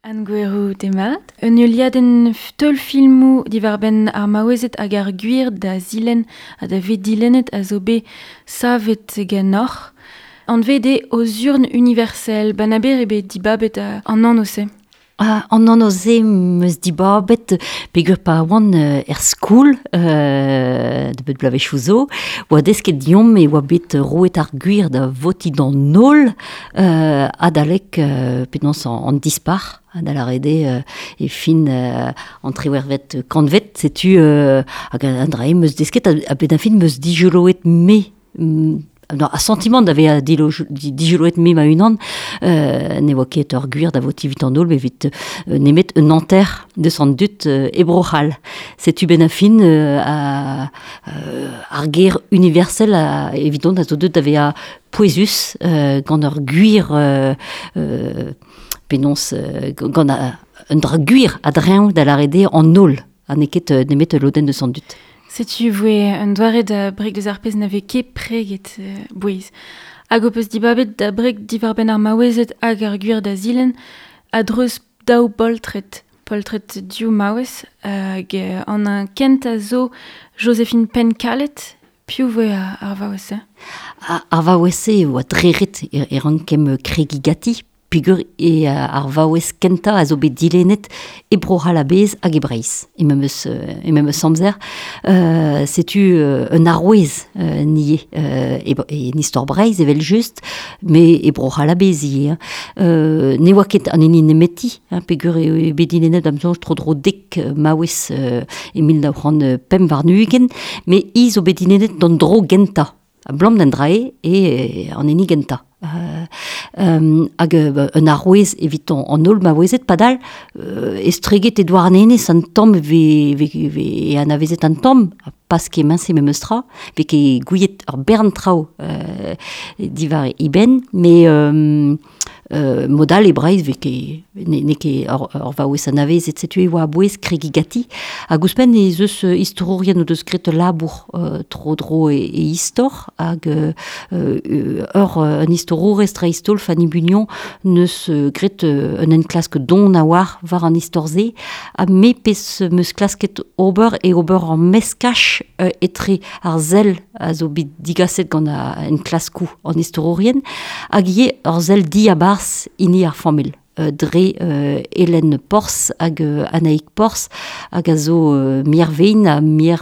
Anne Gouerou, demat. Un heuliadenn teulfilmoù diwar-benn ar maouezed hag ar gwir da zilenn ha da vet dilennet a zo bet savet ganeoc'h. Anvet eo Aux urnes universelles. Banaber eo bet dibabet an anv-se. Ah, an anv-se 'm eus dibabet peogwir pa oan er skol nebeut bloavezhioù zo, oa desket deomp e oa bet roet ar gwir da votiñ d'an holl adalek penaos an dispac'h, da lâret eo e fin an triwec'hvet kantved, setu hag an dra-se 'm eus desket a-benn ar fin 'm eus dijoloet me a santimant da vezañ dijoloet me ma-unan ne oa ket ur gwir da votiñ evit an holl met evit nemet un hanter deus an dud e Bro-C'hall. Setu benn ar fin ar ger universel evidon a zo deuet da vezañ pouezus gant ur gwir penaos gant un dra gwir a-dreñv da lâret eo an holl ha n'eo ket nemet ul lodenn deus an dud. Setu voe un doare da breg deus ar pezh na vez ket preget bouez. Hag ho peus dibabet da breg diwar-benn ar maouezed hag ar gwir da zilenn a-dreuz daou boltred. Poltred div maouez hag an kentañ zo Joséphine Penkalet. Piv voe ar vaouez-se? Ar vaouez-se e oa dre ret e rankemp kregiñ ganti. Peogwir eo ar vaouez kentañ a zo bet dilennet e Bro-C'hall a-bezh hag e Breizh e memes, e memes amzer. Setu un arouez nie en istor Breizh evel-just, met e Bro-C'hall a-bezh ivez. Ne oa ket an hini nemeti, hein, peogwir eo bet dilennet da'm soñj tro-dro dek maouez e 1925, met hi zo bet dilennet d'an dro gentañ. Abalamour d'an dra-se eo an hini gentañ. Hag un arouez evitañ an holl maouezed padal estreget e Douarnenez an tamm e vez anavezet an tamm pas kement-se memes tra vez ket gouiet ur bern traoù diwar e benn mais Mod all e Breizh vez ket n'eo ket ur vaouez anavezet setu e oa a-bouez kregiñ ganti. Hag ouzhpenn ez eus istorourien o deus graet ul labour tro-dro e istor hag ur un istorourez dreist-holl Fanny Bugnon neus graet un enklask don a-walc'h war an istor-se ha me pezh 'm eus klasket ober eo ober ur meskaj etre ar sell a zo bet digaset gant enklaskoù an istorourien hag ivez ur sell diabarzh hini ar familh dre Hélène Porzh hag Anaïk Porzh hag a zo miervein ha mier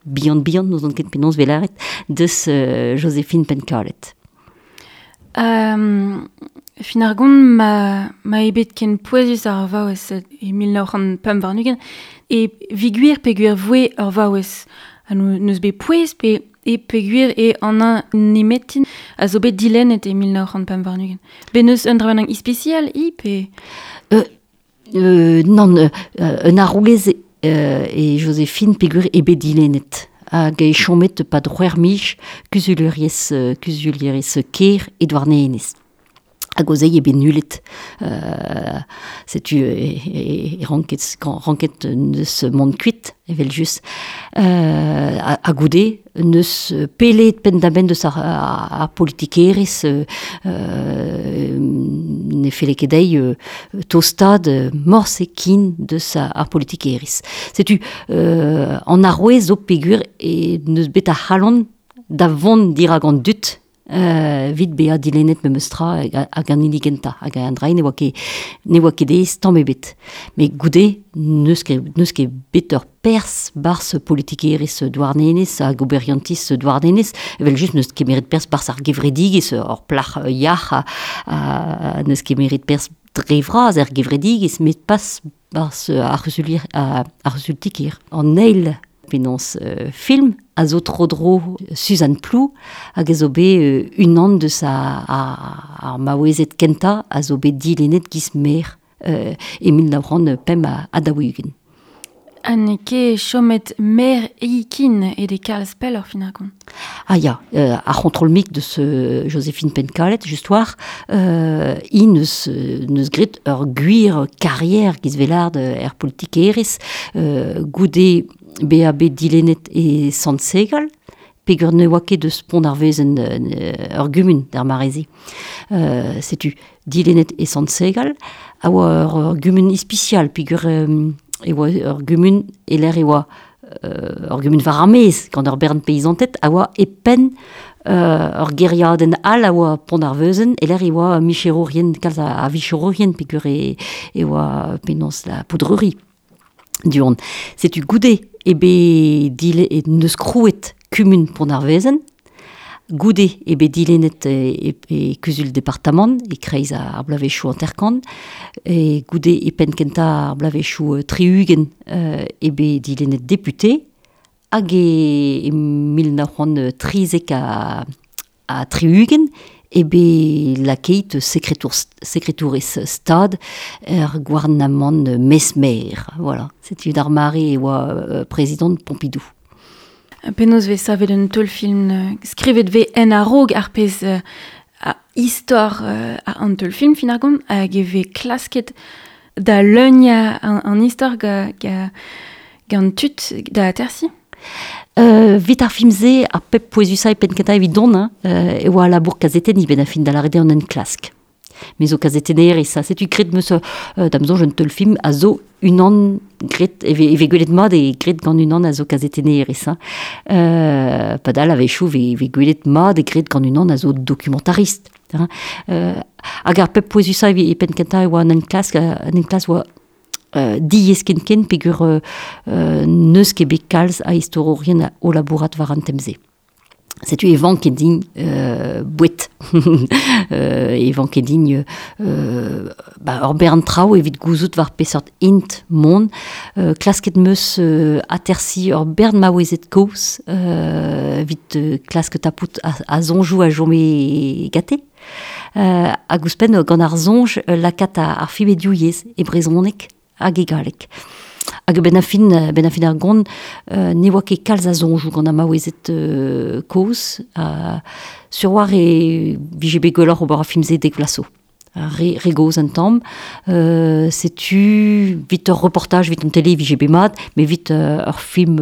bihan-bihan n'ouzon ket penaos 'vez lâret deus Joséphine Penkalet. Fin ar gont ma, ma eo bet ken pouezus ar vaouez e 1925 e vi gwir peogwir voe ur vaouez ha n'eus bet pouez pe e peogwir eo an nemetin a zo bet dilennet e 1925. Bet n'eus un dra bennak ispisial i pe... Nann, un arouez eo Joséphine peogwir eo bet dilennet hag eo chomet 'pad c'hwec'h miz kuzulierez kuzulierez kêr e Douarnenez. Hag o zeiz eo bet nullet. Setu e ranket ranket neus mont kuit evel-just. Ha goude neus pellet penn-da-benn deus ar politikerezh ne felle ket dezhi tostaat morse ken deus ar politikerezh. Setu an arouez zo peogwir e neus bet ar c'halon da vont dirak an dud evit bezañ dilennet memes tra hag an hini gentañ hag an dra ne oa ket ne oa ket aes tamm ebet. Met goude n'eus ket n'eus ket bet ur perzh 'barzh politikerezh Douarnenez hag oberiantiz Douarnenez evel-just n'eus kemeret perzh 'barzh ar gevredigezh ur plac'h yac'h ha n'eus kemeret perzh dre vras er gevredigezh met pas 'barzh ar c'huzulier ar c'huzul-ti-kêr. An eil penaos film a zo tro-dro Suzanne Plou hag a zo bet unan deus ar maouezed kentañ a zo bet dilennet giz maer e 1945. Ha n'eo ket chomet maer Eikin e de kalz pelloc'h fin ar gont. Ah ya, ar c'hontrol-mik deus Joséphine Penkalet, just war, hi neus, neus graet ur gwir karier giz velard er politikerezh goude bezañ bet dilennet e Sant-Segal. pegur ne oa ket deus pont ar vezen ur gumun d'ar marezi. Setu dilennet e Sant-Segal, a oa ur gumun ispicial, pegur e oa ur gumun e l'air e oa ur gumun war ar maez, gant ur bern peizanted, a oa e penn ur geriadenn all a oa pont ar veuzen, e l'air e oa micherourien, kalz a vicherourien, pegur e oa penaos la poudrerie. Du-hont. Setu goude e bet dile e neus krouet kumun pont ar vezen, goude e bet dilennet e kuzul departamant, e kreiz ar bloavezhioù hanter-kant, e goude e penn kentañ ar bloavezhioù 60 e bet dilennet député, hag e 1973 e bet lakeit sekretourez stad er gouarnamant Mesmer. Voilà. Setu d'ar mare e oa prezidant Pompidou. Penaos vez savet un teulfilm skrivet vez en a-raok ar pezh a istor an teulfilm fin ar gont hag e vez klasket da leuniañ an istor gant tud da atersi. Vit ar film-se, ar pep pouezusañ e penn kentañ evit dont, hein, e oa labour kazetenniñ ben a fin da lâret eo an enklask. Me zo kazetennerez, ha setu graet 'm eus da'm soñj un teulfilm a zo unan graet, e vez gwelet mat eo graet gant unan a zo kazetennerez. Hein. Padal a-wechoù e vez gwelet mat eo graet gant unan a zo dokumentarist. Hein. Hag ar pep pouezusañ e penn kentañ e oa an enklask, an enklask oa diaes ken-ken peogwir n'eus ket bet kalz a istorourien o labourat war an tem-se. Setu e vanke din boued. E vanke din ba, ur bern traoù evit gouzout war peseurt int mont. Klasket 'm eus atersiñ ur bern maouezed kozh evit klask tapout a soñjoù a chome gante. Hag ouzhpenn gant ar soñj lakaat ar film e div yezh, e brezhoneg hag e galleg. Hag benn ar fin, benn ar fin ar gont, ne oa ket kalz a soñjoù gant ar maouezed kozh. Sur war e vije bet gwelloc'h ober ar film-se dek vloaz zo. Re, re gozh un tamm. Setu vit ur reportaj evit an tele e vije bet mat, met evit ur film,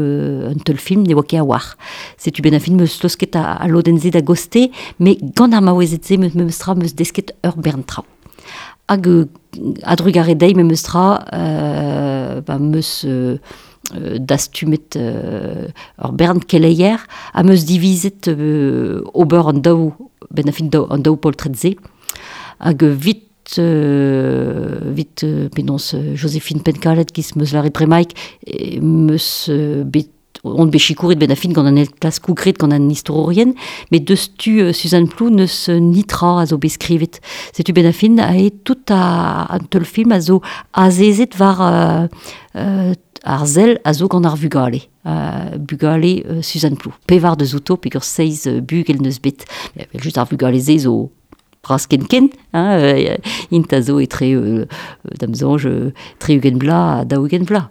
un teulfilm ne oa ket a-walc'h. Setu benn ar fin 'm eus laosket al lodenn-se da goste, met gant ar maouezed-se memes tra 'm eus desket ur bern traoù. Hag a-drugarez dezhi memes tra ba 'm eus dastumet ur bern keleier ha 'm eus divizet ober an daou, benn ar fin an daou poltred-se. Hag vit vit penaos Joséphine Penkalet giz 'm eus lâret bremaik 'm eus bet on bet sikouret benn ar fin gant an enklaskoù graet gant an istorourien, met deus tu Suzanne Plou n'eus nitra a zo bet skrivet. Setu benn ar fin aet tout an teulfilm a zo azezet war ar sell a zo gant ar vugale. Bugale Suzanne Plou. Pevar deus outo peogwir seizh bugel n'eus bet. Evel-just ar vugale-se zo bras ken-ken, hein, int a zo etre, da'm soñj, 60 vloaz ha 40 vloaz.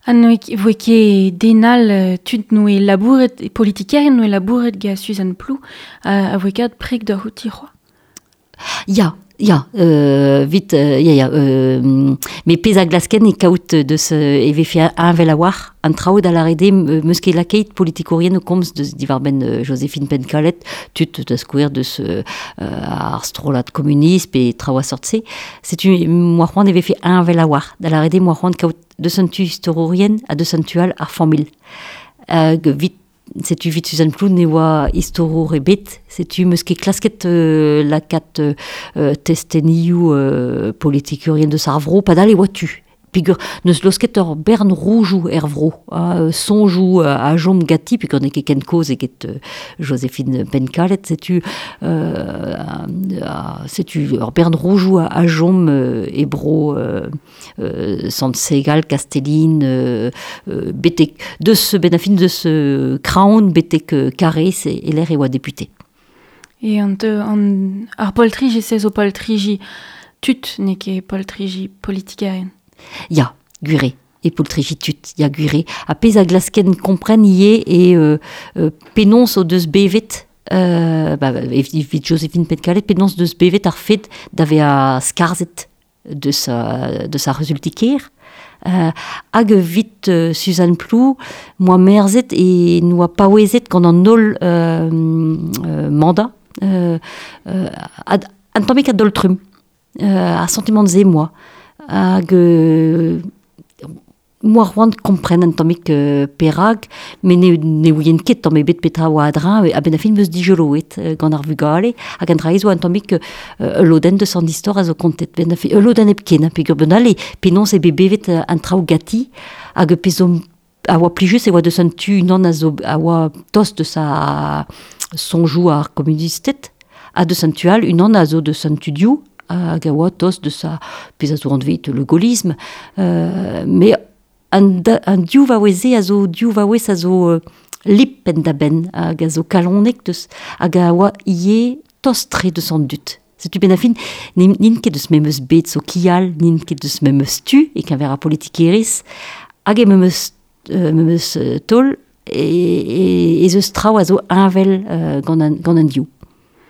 Ha ne voe ket den all tud noe labouret, politikerien noe labouret gant Suzanne Plou, a voe kat preg da c'houti c'hoazh. Ya, ya, vit, ya, ya, met pezh a glasken e kaout deus e vefe heñvel a-walc'h an traoù da lâret eo 'm eus ket lakaet politikourien o komz deus diwar-benn Joséphine Penkalet, tud da skouer deus ar strollad komunist pe traoù a sort-se. Setu 'm oa c'hoant e vefe heñvel a-walc'h, da lâret eo 'm oa c'hoant kaout deus an tu istorourien ha deus an tu all ar familh. Hag vit Setu evit Suzanne Plou ne oa istorour ebet, setu 'm eus ket klasket lakaat testenioù politikourien deus ar vro, padal e oa tu. Peogwir n'eus laosket ur bern roujoù er vro, ha soñjoù a chom ganti, peogwir n'eo ket ken kozh eget Joséphine Penkalet, setu setu ur bern roujoù a chom e bro Sant-Segal, Kastellin, betek deus benn ar fin deus Kraon betek Karrez e lec'h e oa depute. E an, an, ar poltriji, se zo poltriji tud, n'eo ket poltriji politikerien. Ya, gwir eo, e poltriji tud, ya gwir eo. Ha pezh a glasken kompren ivez eo penaos o deus bevet ba, evit Joséphine Penkalet, penaos deus bevet ar fed da vezañ skarzhet deus, deus ar c'huzul-ti-kêr. Hag vit Suzanne Plou, moa merzet e noa paouezet gant an holl mandat, an tammik a doltrum, a sentiment ze moa. Hag moa c'hoant kompren an tammik perag, me ne ouien ket tamm ebet petra oa adrin, a-benn a fin meus dijoloet gant ar vugale, hag an dra zo an tammik lodenn deus an istor a zo kontet. Ben a fin, ul lodenn hepken, peogwir ben ale, penaos e bet bevet an traoù gati, hag pezh zo a oa plijus e oa deus an tu unan a zo a oa tost deus a soñjoù ar komunisted, ha deus an tu all unan a zo deus an tu diou, hag a oa tost deus a pezh a zo anvet le gaullisme. Me an, an div vaouez-se a zo div vaouez a zo lip penn-da-benn hag a zo kalonek deus hag a oa ivez tost-tre deus an dud. Setu benn ar fin, n'int ket deus memes bed sokial, n'int ket deus memes tu e-keñver ar politikerezh, hag e memes, memes taol e, e, ez eus traoù a zo heñvel gant an, gant an div.